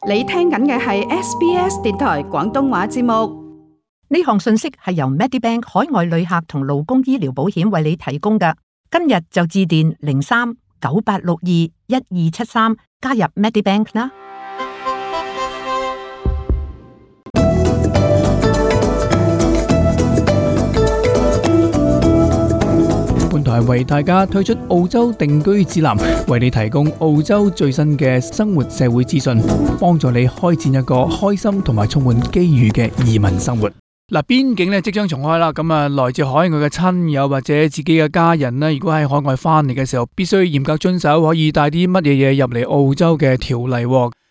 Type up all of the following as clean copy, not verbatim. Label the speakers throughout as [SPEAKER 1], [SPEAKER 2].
[SPEAKER 1] 你聽緊嘅係 SBS 電台廣東話節目。
[SPEAKER 2] 呢項信息係由 Medibank 海外旅客同勞工醫療保險為你提供嘅。今日就致電03-9862-1273加入 Medibank 啦。
[SPEAKER 3] 本台為大家推出澳洲定居指南，為你提供澳洲最新嘅生活社會資訊，幫助你開展一個開心同埋充滿機遇嘅移民生活。嗱，邊境咧即將重開啦，咁啊，來自海外嘅親友或者自己嘅家人呢，如果喺海外翻嚟嘅時候，必須嚴格遵守可以帶啲乜嘢嘢入嚟澳洲嘅條例。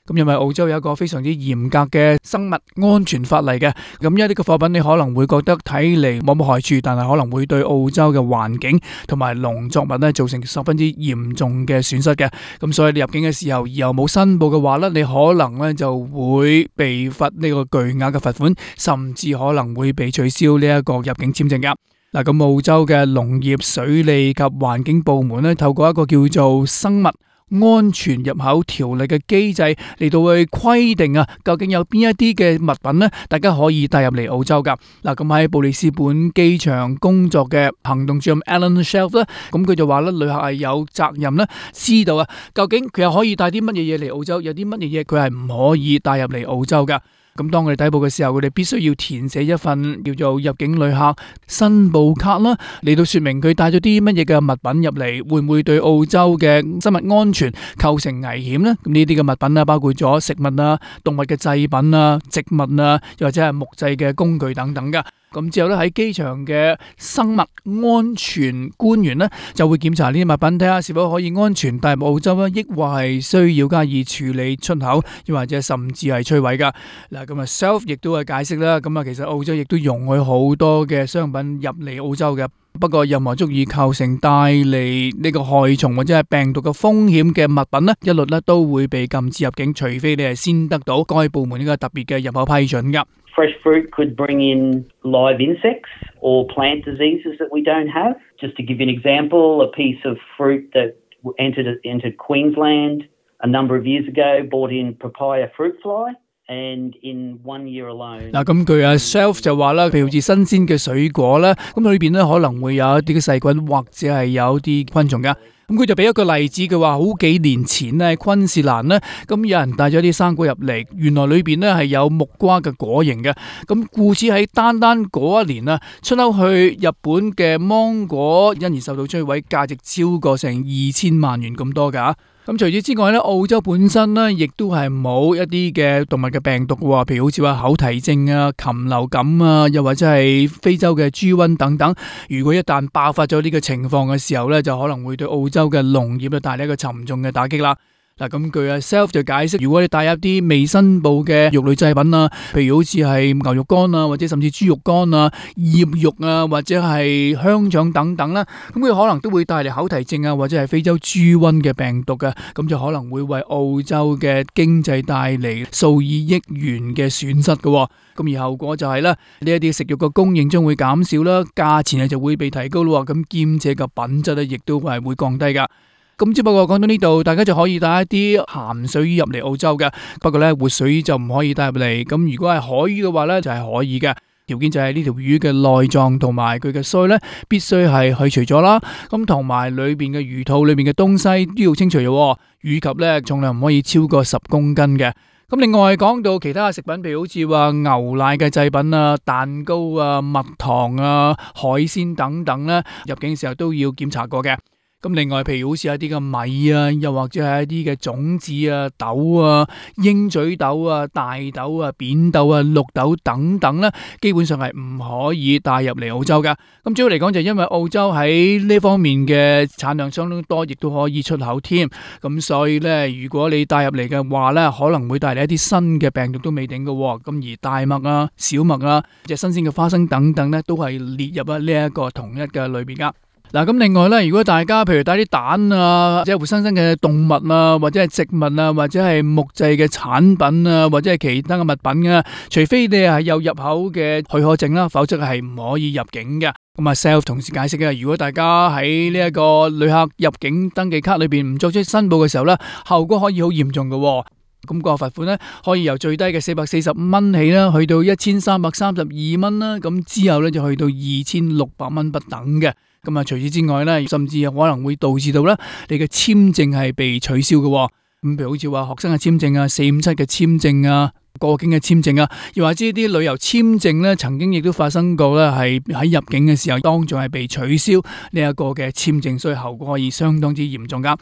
[SPEAKER 3] 咁因為澳洲有一個非常之嚴格嘅生物安全法例嘅，咁一啲嘅貨品你可能會覺得睇嚟冇乜害處，但係可能會對澳洲嘅環境同埋農作物咧造成十分之嚴重嘅損失嘅。咁所以你入境嘅時候又冇申報嘅話咧，你可能咧就會被罰呢個巨額嘅罰款，甚至可能會被取消呢一個入境簽證噶。嗱，咁澳洲嘅農業、水利及環境部門咧，透過一個叫做生物安全入口條例嘅機制嚟到去規定啊，究竟有邊一啲嘅物品呢，大家可以帶入嚟澳洲噶。嗱，咁喺布里斯本機場工作嘅行動主任 Alan Shelf 咧，咁佢就話咧，旅客係有責任咧，知道啊，究竟佢又可以帶啲乜嘢嘢嚟澳洲，有啲乜嘢嘢佢係唔可以帶入嚟澳洲噶。咁當佢哋抵埗嘅時候，佢哋必須要填寫一份叫做入境旅客申報卡啦，嚟到說明佢帶咗啲乜嘢嘅物品入嚟，會唔會對澳洲嘅生物安全構成危險呢？咁呢啲嘅物品啊，包括咗食物啊、動物嘅製品啊、植物啊，又或者係木製嘅工具等等噶。咁之後咧，喺機場嘅生物安全官員呢，就會檢查呢啲物品，睇下是否可以安全帶入澳洲啊，抑或係需要加以處理出口，又或者甚至係摧毀噶。嗱，咁啊 Self 亦都係解釋啦，咁啊其實澳洲亦都容許好多嘅商品入嚟澳洲嘅，不過任何足以構成帶嚟呢個害蟲或者係病毒嘅風險嘅物品呢，一律呢都會被禁止入境，除非你係先得到該部門呢個特別嘅入口批准噶。
[SPEAKER 4] Fresh fruit could bring in live insects or plant diseases that we don't have. Just to give you an example, a piece of fruit that entered Queensland a number of years ago brought in papaya fruit fly. And in 1 year alone， 嗱，咁佢Shelf 就話啦，譬如好似新鮮嘅水果啦，咁裏邊咧可能會有一啲嘅細菌或者係有啲昆蟲噶。咁佢就俾一個例子，佢話好幾年前咧，昆士蘭咧，咁有人帶咗啲生果入嚟，原來裏邊咧係有木瓜嘅果形嘅。咁故此喺單嗰一年啊，出口去日本嘅芒果因而受到摧毀，價值超過成2000萬元咁多噶。咁除此之外咧，澳洲本身咧亦都係冇一啲嘅動物嘅病毒嘅，譬如好似話口蹄症啊、禽流感啊，又或者係非洲嘅豬瘟等等。如果一旦爆發咗呢個情況嘅時候咧，就可能會對澳洲嘅農業咧帶嚟一個沉重嘅打擊啦。嗱，咁據Self 就解釋，如果你帶入啲未申報嘅肉類製品啊，譬如好似係牛肉乾啊，或者甚至豬肉乾啊、醃肉啊，或者係香腸等等啦，咁佢可能都會帶嚟口蹄症啊，或者係非洲豬瘟嘅病毒嘅，咁就可能會為澳洲嘅經濟帶嚟數以億元嘅損失嘅。咁而後果就係咧，呢一啲食肉嘅供應將會減少啦，價錢就會被提高咯，咁兼且嘅品質咧亦都係會降低噶。咁只不過講到呢度，大家就可以帶一啲鹹水魚入嚟澳洲嘅，不過咧活水就唔可以帶入嚟。咁如果係海魚嘅話咧，就係可以嘅。條件就係呢條魚嘅內臟同埋佢嘅鰓咧，必須係去除咗啦。咁同埋裏邊嘅魚肚裏邊嘅東西都要清除嘅，以及咧重量唔可以超過10公斤嘅。咁另外講到其他嘅食品，譬如好似話牛奶嘅製品啊、蛋糕啊、蜜糖啊、海鮮等等咧，入境嘅時候都要檢查過嘅。咁另外譬如好似一啲嘅米啊，又或者係一啲嘅種子啊、豆啊、鷹嘴豆啊、大豆啊、扁豆啊、綠豆等等咧，基本上係唔可以帶入嚟澳洲噶。咁主要嚟講就因為澳洲喺呢方面嘅產量相當多，亦都可以出口添。咁所以咧，如果你帶入嚟嘅話咧，可能會帶嚟一啲新嘅病毒都未定嘅。咁而大麥啊、小麥啊、即係新鮮嘅花生等等咧，都係列入啊呢一個同一嘅類別噶。嗱，咁另外咧，如果大家譬如帶啲蛋啊，或者活生生嘅動物啊，或者係植物啊，或者係木製嘅產品啊，或者係其他嘅物品啊，除非你係有入口嘅許可證啦，否則係唔可以入境嘅。咁啊 Self 同時解釋嘅，如果大家喺呢一個旅客入境登記卡裏邊唔作出申報嘅時候咧，後果可以好嚴重嘅。
[SPEAKER 3] 咁個罰款咧可以由最低嘅445蚊起啦，去到1332蚊啦，咁之後咧就去到2600蚊不等嘅。咁啊，除此之外咧，甚至可能會導致到咧你嘅簽證係被取消嘅。咁譬如好似話學生嘅簽證啊、457嘅簽證啊、過境嘅簽證啊，又或者啲旅遊簽證咧，曾經亦都發生過咧，係喺入境嘅時候當眾係被取消呢一個嘅簽證，所以後果可以相當之嚴重噶。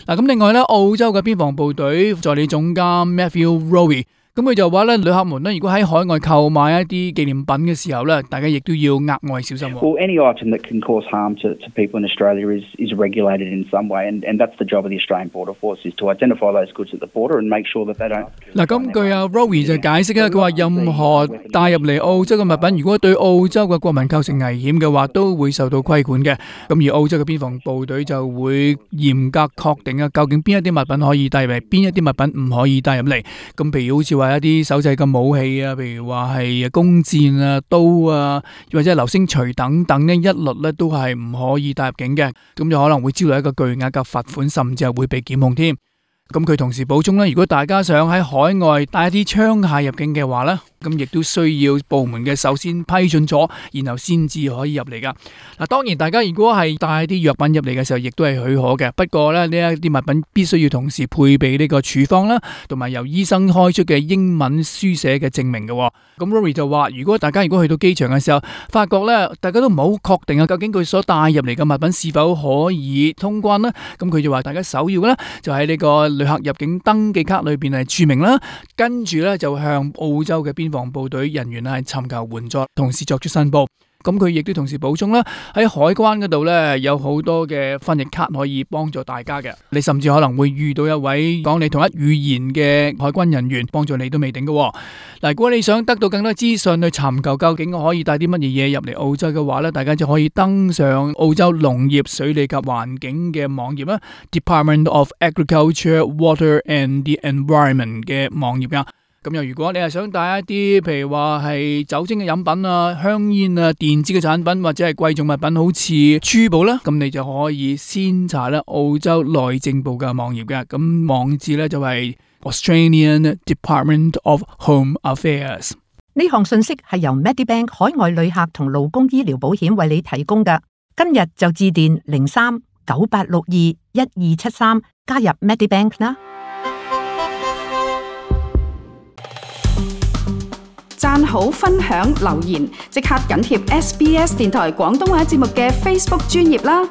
[SPEAKER 3] 嗱，咁另外咧，澳洲嘅邊防部隊助理總監 Matthew Rowe， 咁佢就話咧，旅客們咧，如果喺海外購買一啲紀念品嘅時候咧，大家亦都要額外小心。
[SPEAKER 5] Well, any item that can cause harm to people in Australia is regulated in some way, and that's the job of the Australian Border Force, is to identify those goods at the border and make sure that they don't.
[SPEAKER 3] 嗱，咁據阿 Rowe 就解釋咧，佢話任何帶入嚟澳洲嘅物品，如果對澳洲嘅國民構成危險嘅話，都會受到規管嘅。咁而澳洲嘅邊防部隊就會嚴格確定啊，究竟邊一啲物品可以帶入嚟，邊一啲物品唔可以帶入嚟。咁譬如好似話一啲手製嘅武器啊，譬如話係弓箭啊、刀啊，或者係流星錘等等呢，一律咧都係唔可以帶入境嘅，咁就可能會招來一個巨額嘅罰款，甚至係會被檢控添。咁佢同時補充咧，如果大家想喺海外帶一啲槍械入境嘅話咧，咁亦都需要部門嘅首先批准咗，然後先至可以入嚟噶。嗱，當然大家如果係帶啲藥品入嚟嘅時候，亦都係許可嘅。不過咧，呢一啲物品必須要同時配備呢個處方啦，同埋由醫生開出嘅英文書寫嘅證明嘅。咁 Rory 就話，如果大家去到機場嘅時候，發覺咧大家都唔好確定啊，究竟佢所帶入嚟嘅物品是否可以通關呢？咁佢就話，大家首要咧就喺呢個旅客入境登記卡裏邊係注明啦，跟住咧就向澳洲嘅邊防部隊人員係尋求援助，同時作出申報。咁佢亦都同時補充啦，喺海關嗰度咧有好多嘅翻譯卡可以幫助大家嘅。你甚至可能會遇到一位講你同一語言嘅海軍人員幫助你都未定嘅。嗱，如果你想得到更多資訊去尋求究竟可以帶啲乜嘢嘢入嚟澳洲嘅話咧，大家就可以登上澳洲農業、水利及環境嘅網頁啦 ，Department of Agriculture, Water and the Environment 嘅網頁噶。咁又如果你係想帶一啲譬如話係酒精嘅飲品啊、香煙啊、電子嘅產品或者係貴重物品，好似珠寶啦，咁你就可以先查咧澳洲內政部嘅網頁嘅。咁網址咧就係 Australian Department of Home Affairs。
[SPEAKER 2] 呢項信息係由 Medibank 海外旅客同勞工醫療保險為你提供嘅。今日就致電03-9862-1273加入 Medibank 啦。
[SPEAKER 1] 讚好、分享、留言，即刻緊貼SBS 電台廣東話節目嘅 Facebook 專頁啦！